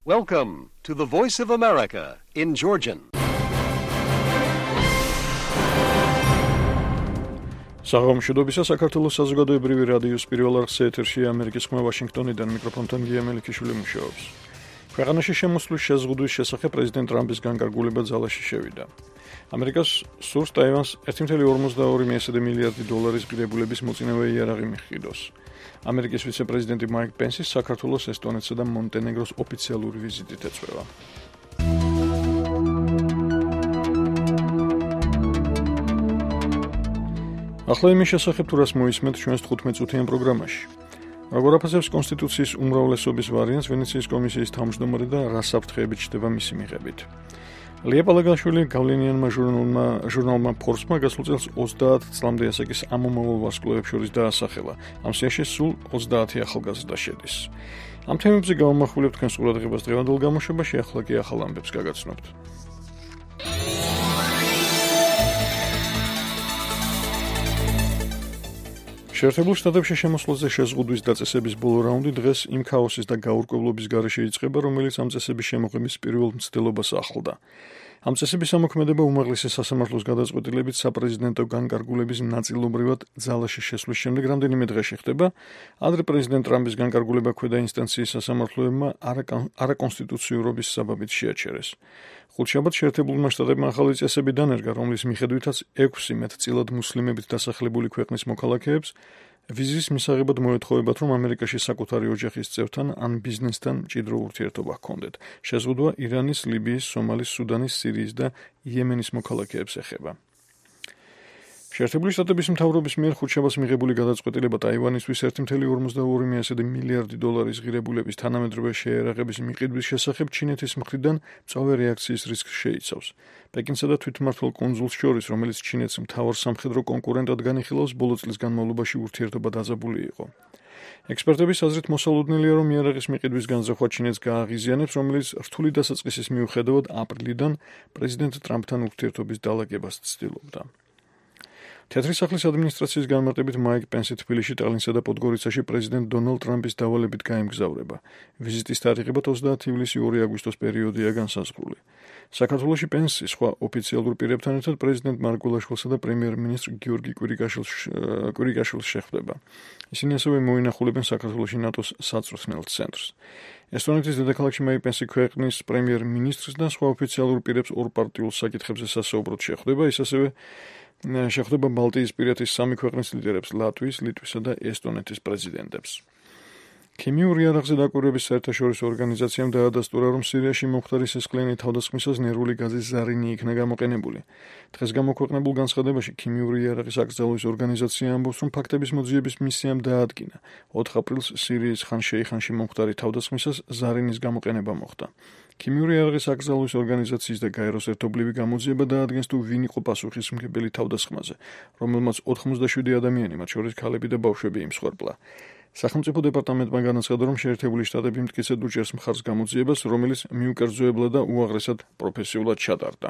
Welcome to the Voice of America in Georgian. საღამოშობისა საქართველოს საზოგადოებრივი რადიოს პირველ არხზე ეთერშია ამერიკის ხმა ვაშინგტონიდან მიკროფონთან გიემელიშვილი მუშაობს. ქვეყანაში შემოსვლის შეზღუდვის შესახებ პრეზიდენტ ტრამპის განკარგულება ძალაში შევიდა. ამერიკას სურს ტაივანს 1.42 მილიარდი დოლარის ღირებულების მოწინავე იარაღი მიჰყიდოს. ამერიკის ვიცე-პრეზიდენტი მაიკ პენსი საქართველოს, ესტონეთსა და მონტენეგროს ოფიციალური ვიზიტით ეწვევა. ახლა იმის შესახებ თუ რას მოისმენთ ჩვენს 15-წუთიან პროგრამაში. როგორ აფასებს კონსტიტუციის უმრავლესობის ვარიანტს ვენეციის კომისიის თავმჯდომარე და რა საფრთხეებით ჩდება მისი მიღებით. ლია პალაგაშვილი გავლენიანმა ჟურნალმა ფორბსმა გასულ წელს 30 წლამდე ასაკის ამომავალ ვარსკვლავებს შორის დაასახელა. ამ სიაში სულ 30 ახალგაზრდა შედის. ამ თემებზე გავამახვილებთ თქვენს ყურადღებას დღევანდელ გამოშვებაში, ახლა კი ახალ ამბებს გაგაცნობთ. შეერთებულ შტატებში შემოსვლაზე შეზღუდვის დაწესების ბოლო რაუნდი დღეს იმ ქაოსის და გაურკვევლობის გარეშე იწყება, რომელიც ამ წესების შემოღების პირველ მცდელობას ახლდა. ამ წესების ამოქმედება უმაღლესი სასამართლოს გადაწყვეტილებით საპრეზიდენტო განკარგულების ნაწილობრივად ძალაში შესვლის შემდეგ რამდენიმე დღეში ხდება. ადრე პრეზიდენტ ტრამპის განკარგულება ქვედა ინსტანციის სასამართლოებმა არაკონსტიტუციურობის საბაბით შეაჩერეს. ხუთშაბათს შეერთებულმა შტატებმა ახალი წესები დანერგა, რომლის მიხედვითაც 6 მეტწილად მუსლიმებით დასახლებული ქვეყნის მოქალაქეებს ვიზის მისაღებად მოეთხოვებათ, რომ ამერიკაში საკუთარი ოჯახის წევრთან ან ბიზნესთან მჭიდრო ურთიერთობა ჰქონდეთ. შეზღუდვა ირანის, ლიბიის, სომალის, სუდანის, სირიის და იემენის მოქალაქეებს ეხება. შეერთებული შტატების მთავრობის მიერ ხუთშაბათს მიღებული გადაწყვეტილება ტაივანისთვის 1.42 მილიარდი დოლარის ღირებულების თანამედროვე შეერაღების მიყიდვის შესახებ ჩინეთის მხრიდან მწვავე რეაქციის რისკს შეიცავს. პეკინსა და თვითმმართველ კუნძულს შორის, რომელიც ჩინეთს მთავარ სამხედრო კონკურენტად განიხილავს, ბოლო წლის განმავლობაში ურთიერთობა დაძაბული იყო. ექსპერტების აზრით მოსალოდნელია, რომ იარაღის მიყიდვის განზრახვა ჩინეთს გააღიზიანებს, რომელიც რთული დასაწყისის მიუხედავად აპრილიდან პრეზიდენტ ტრამპთან ურთიერთობის დალაგებას ცდილობდა. თეთრი სახლის ადმინისტრაციის განმარტებით მაიკ პენსი თბილისში, ტალინსა და პოდგორიცაში პრეზიდენტ დონალდ ტრამპის დავალებით გაემგზავრება. ვიზიტის თარიღებად 30 ივლისი 2 აგვისტოს პერიოდია განსაზღვრული. საქართველოში პენსი სხვა ოფიციალურ პირებთან ერთად პრეზიდენტ მარკ გულაშვილსა და პრემიერ-მინისტრ გიორგი კვირიკაშვილს შეხვდება. ისინი ასევე მოინახულებენ საქართველოში ნატოს საწვრთნელ ცენტრს. ესტონეთის დედაქალაქში მაიკ პენსი ქვეყნის პრემიერ-მინისტრს და სხვა ოფიციალურ პირებს ორპარტიულ საკითხებზე სასაუბროდ შეხვდება, ის ასევე შეხვდება ბალტიისპირეთის 3 ქვეყნის ლიდერებს, ლატვიის, ლიტვისა და ესტონეთის პრეზიდენტებს. ქიმიური იარაღზე დაკვირვების საერთაშორისო ორგანიზაციამ დაადასტურა, რომ სირიაში მომხდარი სისხლიანი თავდასხმისას ნერვული გაზის ზარინი იქნა გამოყენებული. დღეს გამოქვეყნებულ განცხადებაში ქიმიური იარაღის აკრძალვის ორგანიზაცია ამბობს, რომ ფაქტების მოძიების მისიამ დაადგინა 4 აპრილს სირიის ხან-შეიხანში მომხდარი თავდასხმისას ზარინის გამოყენება მოხდა. ქიმიური იარაღის აკრძალვის ორგანიზაციის და გაეროს ერთობლივი გამოძიება დაადგენს, თუ ვინ იყო პასუხისმგებელი თავდასხმაზე, რომელმაც 87 ადამიანი, მათ შორის ქალები და ბავშვები იმსხვერპლა. სახელმწიფო დეპარტამენტმა განაცხადა, რომ შეერთებული შტატები მტკიცედ უჭერს მხარს გამოძიებას, რომელიც მიუკერძოებლა და უაღრესად პროფესიულად ჩატარდა.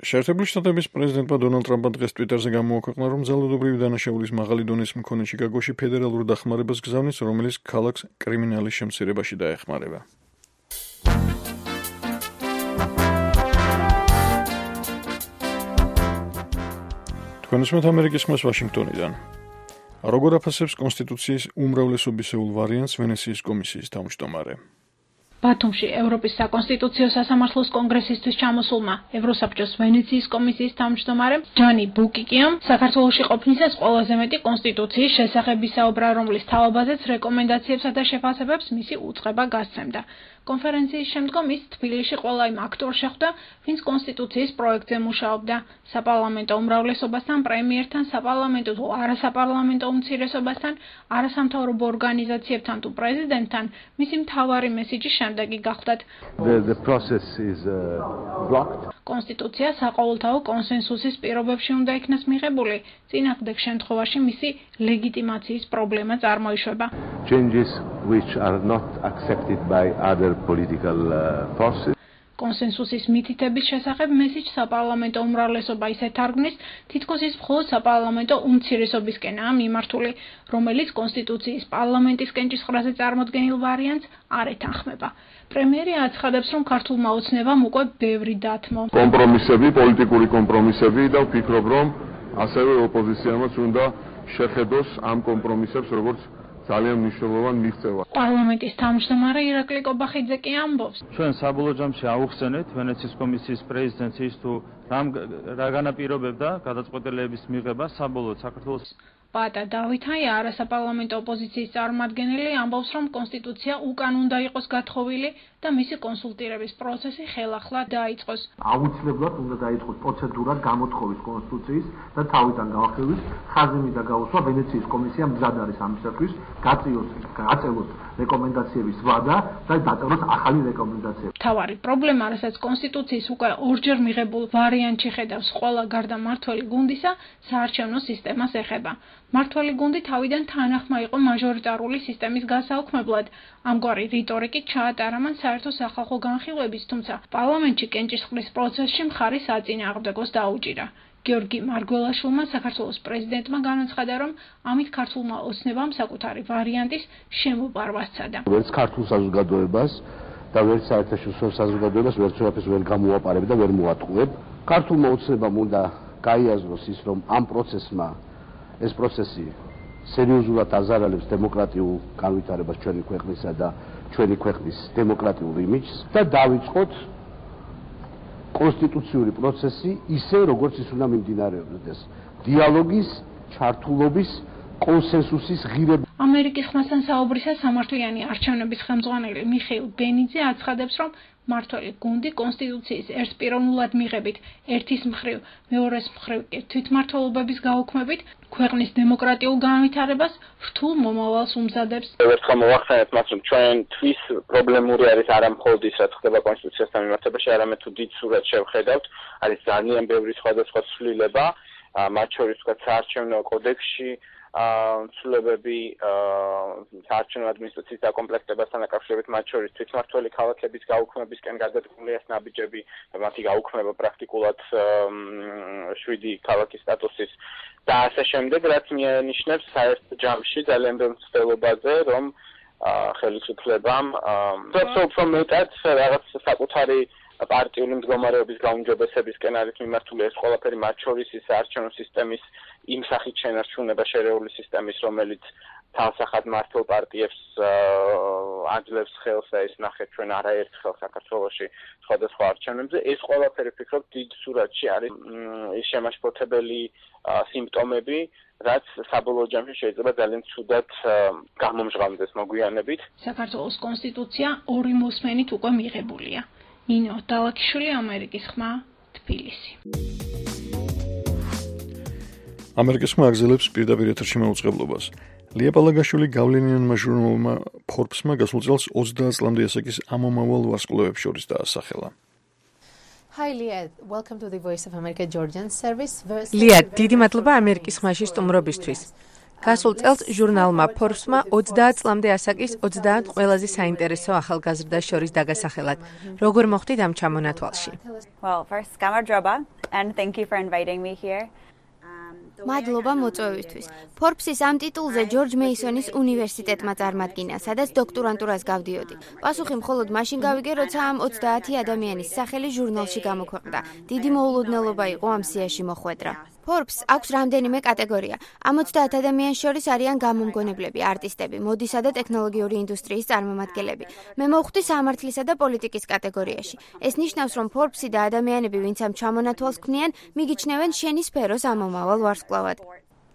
შეერთებული შტატების პრეზიდენტმა დონალდ ტრამპმა დღეს ტვიტერზე გამოაქვეყნა, რომ ძალადობრივი დანაშაულის მაღალი დონის მქონე ჩიკაგოში ფედერალურ დახმარებას გზავნის, რომელიც ქალაქს კრიმინალის შემცირებაში დაეხმარება. თქვენისმეთ ამერიკის ხმას ვაშინგტონიდან. როგორ აფასებს კონსტიტუციის უმრავლესობისეულ ვარიანტს ვენეციის კომისიის თავმჯდომარე. ბათუმში ევროპის საკონსტიტუციო სასამართლოს კონგრესისთვის ჩამოსულმა ევროსაბჭოს ვენეციის კომისიის თავმჯდომარემ ჯანი ბუკიკიამ საქართველოში ყოფნისას ყველაზე მეტი კონსტიტუციის შესახებ ისაუბრა, რომლის თავობაზეც რეკომენდაციებსა და შეფასებებს მისი უწყება გასცემდა. კონფერენციის შემდგომ ის თბილისში ყველა იმ აქტორს შეხვდა, ვინც კონსტიტუციის პროექტზე მუშაობდა. საპარლამენტო უმრავლესობასთან, პრემიერთან, საპარლამენტო თუ არასაპარლამენტო უმცირესობასთან, არასამთავრობო ორგანიზაციებთან თუ პრეზიდენტთან, მისი მთავარი მესიჯი შემდეგი გახლდათ. The process is blocked. კონსტიტუცია საყოველთაო კონსენსუსის პირობებში უნდა იქნას მიღებული, წინააღმდეგ შემთხვევაში მისი ლეგიტიმაციის პრობლემა წარმოიშვება. Changes which are not accepted by other political forces. კონსენსუსის მითითების შესახებ მესიჯს საპარლამენტო უმრავლესობა ისე თარგმნის, თითქოს ის მხოლოდ საპარლამენტო უმცირესობისკენაა მიმართული, რომელიც კონსტიტუციის პარლამენტისკენ ჭისყრაზე წარმოდგენილ ვარიანტს არ ეთანხმება. პრემიერი აცხადებს, რომ ქართულმა ოცნებამ უკვე ბევრი დათმო. კომპრომისები, პოლიტიკური კომპრომისები და ვფიქრობ, რომ ასევე ოპოზიციამაც უნდა შეხედოს ამ კომპრომისებს, როგორც ძალიან მნიშვნელოვან მიღწევას. პარლამენტის თავმჯდომარე ირაკლი კობახიძე კი ამბობს. ჩვენ საბოლოო ჯამში ავუხსენეთ ვენეციის კომისიის პრეზიდენტს ის თუ რა განაპირობებდა გადაწყვეტილების მიღებას საბოლოოდ საქართველოს. პატა დავითაია, არასაპარლამენტო ოპოზიციის წარმომადგენელი, ამბობს, რომ კონსტიტუცია უკან უნდა იყოს გათხოვილი და მისი კონსულტირების პროცესი ხელახლა დაიწყოს. აუცილებლად უნდა დაიწყოს პროცედურა გამოთხოვის კონსტიტუციის და თავიდან გაახერხვის ხაზები და გაუსვა ვენეციის კომისია მზად არის ამისათვის, გაწევოს რეკომენდაციების ვადა და დაწეროს ახალი რეკომენდაციები. თავარი პრობლემა, რასაც კონსტიტუციის უკვე ორჯერ მიღებულ ვარიანტში ხედავს ყველა გარდა მმართველი გუნდისა, საარჩევნო სისტემას ეხება. მმართველი გუნდი თავიდან თანახმა იყო მაჟორიტარული სისტემის გასაუქმებლად. ამგვარი რიტორიკით ჩაატარა მან საერთო სახალხო განხილვების, თუმცა პარლამენტში კენჭისყრის პროცესში მხარის აწინააღმდეგოს დაუჭირა. გიორგი მარგველაშვილმა საქართველოს პრეზიდენტმა განაცხადა, რომ ამით ქართულმა ოცნებამ საკუთარი ვარიანტის შემოპარვა სცადა. ვერც ქართულ საზოგადოებას და ვერც საერთაშორისო საზოგადოებას ვერცერთს ვერ გამოუაპარებ და ვერ მოატყუებ. ქართულმა ოცნებამ უნდა გაიაზროს ის, რომ ამ პროცესმა ეს პროცესი სერიოზულად აზარალებს დემოკრატიულ განვითარებას ჩვენი ქვეყნისა და ჩვენი ქვეყნის დემოკრატიულ იმიჯს და დავიწყოთ კონსტიტუციური პროცესი ისე, როგორც ის უნდა მიმდინარეობდეს. დიალოგის, ჩართულობის, კონსენსუსის ღირებულება. ამერიკის ხმასთან საუბრისას სამართლიანი არჩევნების ხელმძღვანელი მიხეილ ბენიძე აცხადებს, რომ მმართველი გუნდი კონსტიტუციის ერთპიროვნულად მიღებით, ერთის მხრივ, მეორეს მხრივ კი თვითმმართველობების გაუქმებით, ქვეყნის დემოკრატიულ განვითარებას რთულ მომავალს უმზადებს. ერთხელ მოვახსენეთ მას, რომ ჩვენთვის პრობლემური არის არა მხოლოდ ის, რაც ხდება კონსტიტუციასთან მიმართებაში, არამედ თუ დიდ სურათს შევხედავთ, არის ძალიან ბევრი სხვადასხვა ცვლილება, მათ შორის თქვა საარჩევნო კოდექსში, ცვლილებები საარჩევნო ადმინისტრაციის დაკომპლექტებასთან დაკავშირებით, მათ შორის თვითმმართველი ქალაქების გაუქმებისკენ გადადგმულია ნაბიჯები და მათი გაუქმება პრაქტიკულად 7 ქალაქის სტატუსის და ასე შემდეგ, რაც მიანიშნებს საერთ ჯამში ძალიან ბევრ მცდელობაზე, რომ ხელისუფლებამ უფრო მეტად რაღაც საკუთარი პარტიული მდგომარეობის გაუმჯობესებისკენ არის მიმართული ეს ყველაფერი, მათ შორის ის საარჩევნო სისტემის იმ სახით შენარჩუნება შერეული სისტემის, რომელიც თავსახად მართლ პარტიებს აძლევს ხელს და ეს ნახეთ ჩვენ არაერთხელ საქართველოში სხვადასხვა არჩევნებზე. ეს ყველაფერი ვფიქრობ დიდ სურათში არის ის შემაშფოთებელი სიმპტომები, რაც საბოლოო ჯამში შეიძლება ძალიან ცუდად გამომჟღავნდეს მოგვიანებით. საქართველოს კონსტიტუცია ორი მოსმენით უკვე მიღებულია. ნინო დალაკიშვილი, ამერიკის ხმა, თბილისი. ამერიკის ხმა აგზელებს პირდაპირ ეთერში მაუწყებლობას. ლია პალაგაშვილი გავლენიანმა ჟურნალმა Forbes-მა გასულ წელს 30 წლამდე ასაკის ამომავალ ვარსკვლავებს შორის დაასახელა. Hi Leah, welcome to the Voice of America Georgian service. ლია, დიდი მადლობა ამერიკის ხმაში სტუმრობისთვის. გასულ წელს ჟურნალმა Forbes-მა 30 წლამდე ასაკის 30 ყველაზე საინტერესო ახალგაზრდას შორის დაგასახელად. როგორ მოხდით ამ ჩამონათვალში? Well, first, გამარჯობა and thank you for inviting me here. მადლობა მოწვევისთვის. Forbes-ის ამ ტიტულზე ჯორჯ მეისონის უნივერსიტეტმა წარმატკინა, სადაც დოქტორანტურას გავდიოდი. პასუხი მხოლოდ მაშინ გავიგე, როცა ამ 30 ადამიანის სახელი ჟურნალში გამოქვეყნდა. დიდი მოულოდნელობა იყო ამ სიაში მოხვედრა. Forbes აქვს რამდენიმე კატეგორია. ამ 30 ადამიანის შორის არიან გამომგონებლები, არტისტები, მოდისა და ტექნოლოგიური ინდუსტრიის წარმომადგენლები. მე მოვხვდი სამართლისა და პოლიტიკის კატეგორიაში. ეს ნიშნავს, რომ Forbes-ი და ადამიანები, ვინც ამ ჩამონათვალს ქმნიან, მიგიჩნევენ შენი სფეროს ამომავალ ვარსკვლავად.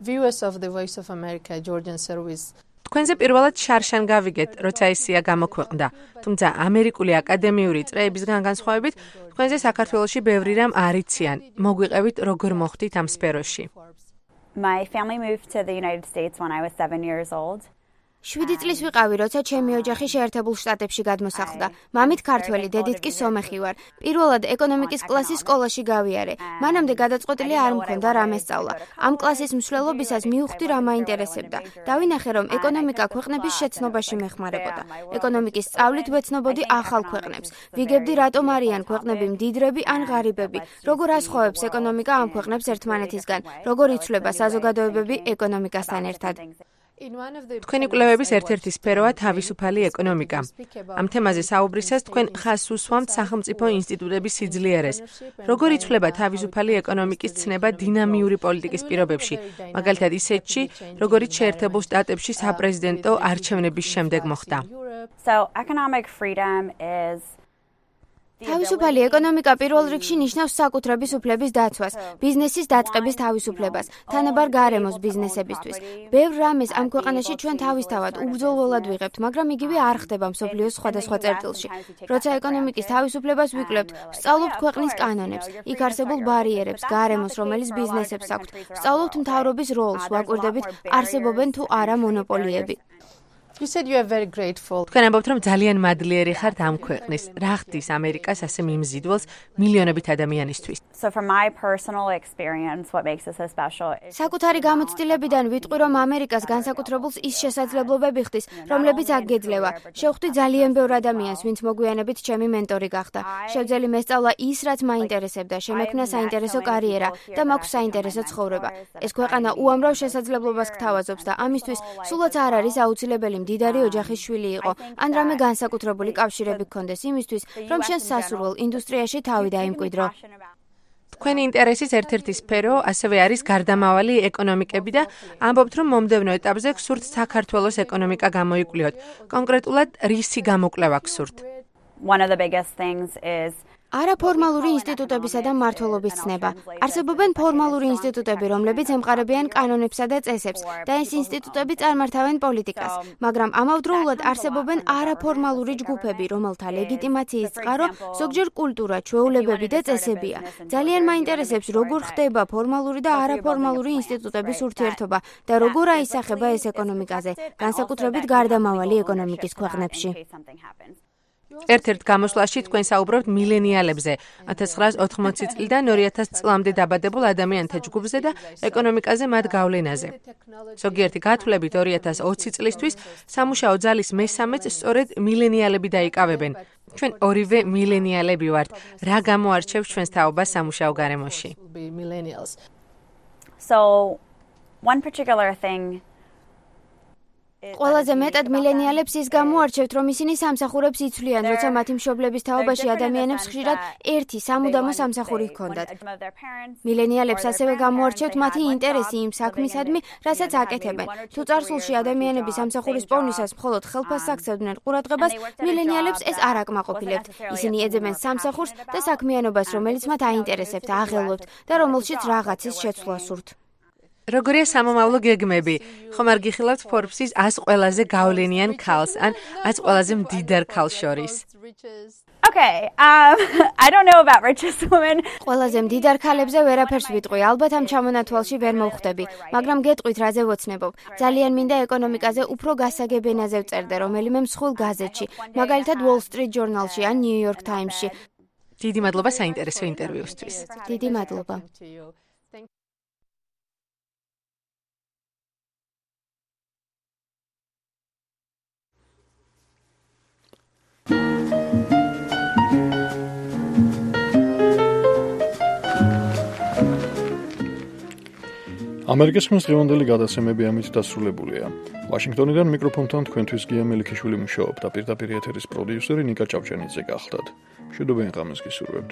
Viewers of the Voice of America Georgian service. თქვენზე პირველად შარშან გავიგეთ, როცა ეს სია გამოქვეყნდა. თუმცა ამერიკული აკადემიური წრეებისგან განსხვავებით, თქვენზე საქართველოში ბევრი რამ არ იციან. მოგვიყევით, როგორ მოხდით ამ სფეროში. My family moved to the United States when I was 7 years old. 7 წლის ვიყავი, როცა ჩემი ოჯახი შეერთებულ შტატებში გადმოსახლდა. მამით ქართველი, დედით კი სომეხი ვარ. პირველად ეკონომიკის კლასის სკოლაში გავიარე. მანამდე გადაწყვეტილი არ მქონდა რა მესწავლა. ამ კლასის მსვლელობისას მივხვდი რა მაინტერესებდა. დავინახე, რომ ეკონომიკა ქვეყნების შეცნობაში მეხმარებოდა. ეკონომიკის სწავლით ვეცნობოდი ახალ ქვეყნებს. ვიგებდი, რატომ არიან ქვეყნები მდიდრები ან ღარიბები, როგორ ასხოვებს ეკონომიკა ამ ქვეყნებს ერთმანეთისგან, როგორ იცვლება საზოგადოებები ეკონომიკასთან ერთად. თქვენი კვლევების ერთ-ერთი სფეროა თავისუფალი ეკონომიკა. ამ თემაზე საუბრისას თქვენ ხაზს უსვამთ სახელმწიფო ინსტიტუტების სიძლიერეს. როგორ იცვლება თავისუფალი ეკონომიკის ცნება დინამიური პოლიტიკის პირობებში, მაგალითად ისეთში, როგორიც შეერთებულ შტატებში საპრეზიდენტო არჩევნების შემდეგ მოხდა. So economic freedom is თავისუფალი ეკონომიკა პირველ რიგში ნიშნავს საკუთრების უფლების დაცვას, ბიზნესის დაწყების თავისუფლებას, თანაბარ გარემოს ბიზნესებისთვის. ბევრ რამეს ამ ქვეყანაში ჩვენ თავისთავად უბრძოლველად ვიღებთ, მაგრამ იგივე არ ხდება მსოფლიოს სხვადასხვა წერტილში. როცა ეკონომიკის თავისუფლებას ვიკვლევთ, ვსწავლობთ ქვეყნის კანონებს, იქ არსებულ ბარიერებს, გარემოს, რომელიც ბიზნესებს აქვთ. ვსწავლობთ მთავრობის როლს, ვაკვირდებით, არსებობენ თუ არა მონოპოლიები. თქვენ ამბობთ, რომ ძალიან მადლიერი ხართ ამ ქვეყნის. რა ხდის ამერიკას ასე მიმზიდველს მილიონობით ადამიანისთვის? So from my personal experience, what makes this so special is საკუთარი გამოცდილებიდან ვიტყვი, რომ ამერიკას განსაკუთრებულს ის შესაძლებლობები ხდის, რომლებიც აქ გეძლევა. შევხვდი ძალიან ბევრ ადამიანს, ვინც მოგვიანებით ჩემი მენტორი გახდა. შევძელი მესწავლა ის, რაც მაინტერესებდა, შემექმნა საინტერესო კარიერა და მაქვს საინტერესო ცხოვრება. ეს ქვეყანა უამრავ შესაძლებლობას გთავაზობს და ამისთვის სულაც არ არის აუცილებელი მდიდარი ოჯახის შვილი იყო, ან რამე განსაკუთრებული კავშირები გქონდეს იმისთვის, რომ შენ სასურველ ინდუსტრიაში თავი დაიმკვიდრო. თქვენი ინტერესის ერთ-ერთი სფერო ასევე არის გარდამავალი ეკონომიკები და ამბობთ, რომ მომდევნო ეტაპზე გსურთ საქართველოს ეკონომიკა გამოიკვლიოთ. კონკრეტულად რისი გამოკვლევა გსურთ? one of the biggest things is არაფორმალური ინსტიტუტებისა და მმართველობის ცნება. არსებობენ ფორმალური ინსტიტუტები, რომლებიც ემყარებიან კანონებსა და წესებს და ეს ინსტიტუტები წარმართავენ პოლიტიკას, მაგრამ ამავდროულად არსებობენ არაფორმალური ჯგუფები, რომელთა ლეგიტიმაციის წყარო ზოგჯერ კულტურა, ჩვეულებები და წესებია. ძალიან მაინტერესებს, როგორ ხდება ფორმალური და არაფორმალური ინსტიტუტების ურთიერთობა და როგორ აისახება ეს ეკონომიკაზე, განსაკუთრებით გარდამავალი ეკონომიკის ქვეყნებში. ერთ-ერთ გამოსვლაში თქვენ საუბრობთ მილენიალებზე, 1980 წლიდან 2000 წლამდე დაბადებულ ადამიანთა ჯგუფზე და ეკონომიკაზე მათ გავლენაზე. ზოგიერთი გათვლებით 2020 წლისთვის სამუშაო ძალის მესამეც სწორედ მილენიალები დაიკავებენ. ჩვენ ორივე მილენიალები ვართ. რა გამოარჩევს ჩვენს თაობას სამუშაო გარემოში? So one particular thing ყველაზე მეტად მილენიალებს ის გამოარჩევთ, რომ ისინი სამსახურებს იცვლიან, როცა მათი მშობლების თაობაში ადამიანებს ხშირად ერთი სამუდამო სამსახური ჰქონდათ. მილენიალებს ასევე გამოარჩევთ მათი ინტერესი იმ საქმისადმი, რასაც აკეთებენ. თუ წარსულში ადამიანები სამსახურის პოვნისას მხოლოდ ხელფასს აქცევდნენ ყურადღებას, მილენიალებს ეს არ აკმაყოფილებთ. ისინი ეძებენ სამსახურს და საქმიანობას, რომელიც მათ აინტერესებთ, აღელვებთ და რომელშიც რაღაცის შეცვლა სურთ. როგორია სამომავლო გეგმები? ხომ არ გიხილავთ Forbes-ის 100 ყველაზე გავლენიან ქალს ან 100 ყველაზე მდიდარ ქალს შორის? Okay, I don't know about richest women. ყველაზე მდიდარ ქალებზე ვერაფერს ვიტყვი, ალბათ ამ ჩამონათვალში ვერ მოვხვდები, მაგრამ გეტყვით რაზე ვოცნებობ. ძალიან მინდა ეკონომიკაზე უფრო გასაგებ ენაზე ვწერდე რომელიმე მსხვილ გაზეთში, მაგალითად Wall Street Journal-ში ან New York Times-ში. დიდი მადლობა საინტერესო ინტერვიუსთვის. დიდი მადლობა. ამერიკის ხმის დღევანდელი გადაცემები ამით დასრულებულია. ვაშინგტონიდან მიკროფონთან თქვენთვის გია მელიქიშვილი მუშაობდა, პირდაპირ ეთერის პროდიუსერი ნიკა ჭავჭანიძე გახლდათ. მშვიდობიან ღამეს გისურვებთ.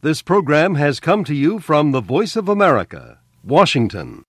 This program has come to you from the Voice of America, Washington.